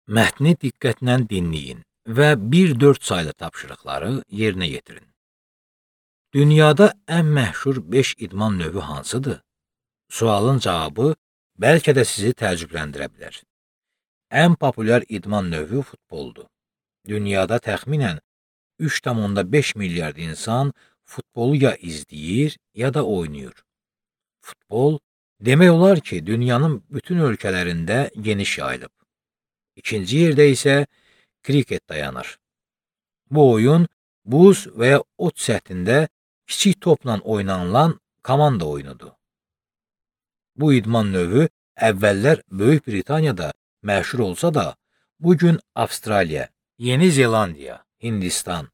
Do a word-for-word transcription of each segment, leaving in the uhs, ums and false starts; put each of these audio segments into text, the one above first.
Mətni diqqətlə dinləyin və bir dörd saylı tapşırıqları yerinə yetirin. Dünyada ən məşhur beş idman növü hansıdır? Sualın cavabı bəlkə də sizi təəccübləndirə bilər. Ən populyar idman növü futboldur. Dünyada təxminən üç tam beş milyard insan futbolu ya izləyir, ya da oynayır. Futbol, demək olar ki, dünyanın bütün ölkələrində geniş yayılıb. İkinci yerdə isə kriket dayanır. Bu oyun buz və ya ot səthində kiçik topla oynanılan komanda oyunudur. Bu idman növü əvvəllər Böyük Britaniyada məşhur olsa da, bugün Avstraliya, Yeni Zelandiya, Hindistan,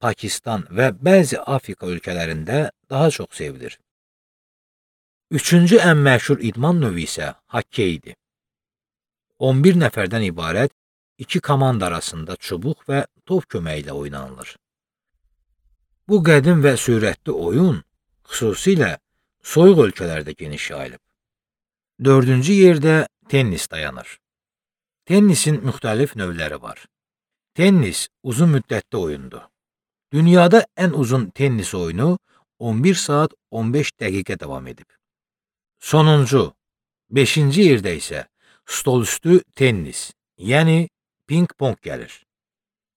Pakistan və bəzi Afrika ölkələrində daha çox sevilir. Üçüncü ən məşhur idman növü isə hokkeydir. on bir nəfərdən ibarət iki komanda arasında çubuq və top köməyi ilə oynanılır. Bu qədim və sürətli oyun xüsusilə soyuq ölkələrdə geniş yayılıb. Dördüncü yerdə tennis dayanır. Tennisin müxtəlif növləri var. Tennis uzun müddətli oyundur. Dünyada ən uzun tennis oyunu on bir saat on beş dəqiqə davam edib. Sonuncu, beşinci yerdə isə stolüstü tennis, yəni ping-pong gəlir.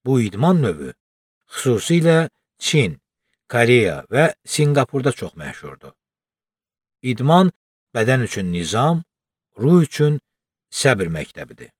Bu idman növü xüsusilə Çin, Koreya və Singapurda çox məşhurdur. İdman bədən üçün nizam, ruh üçün səbr məktəbidir.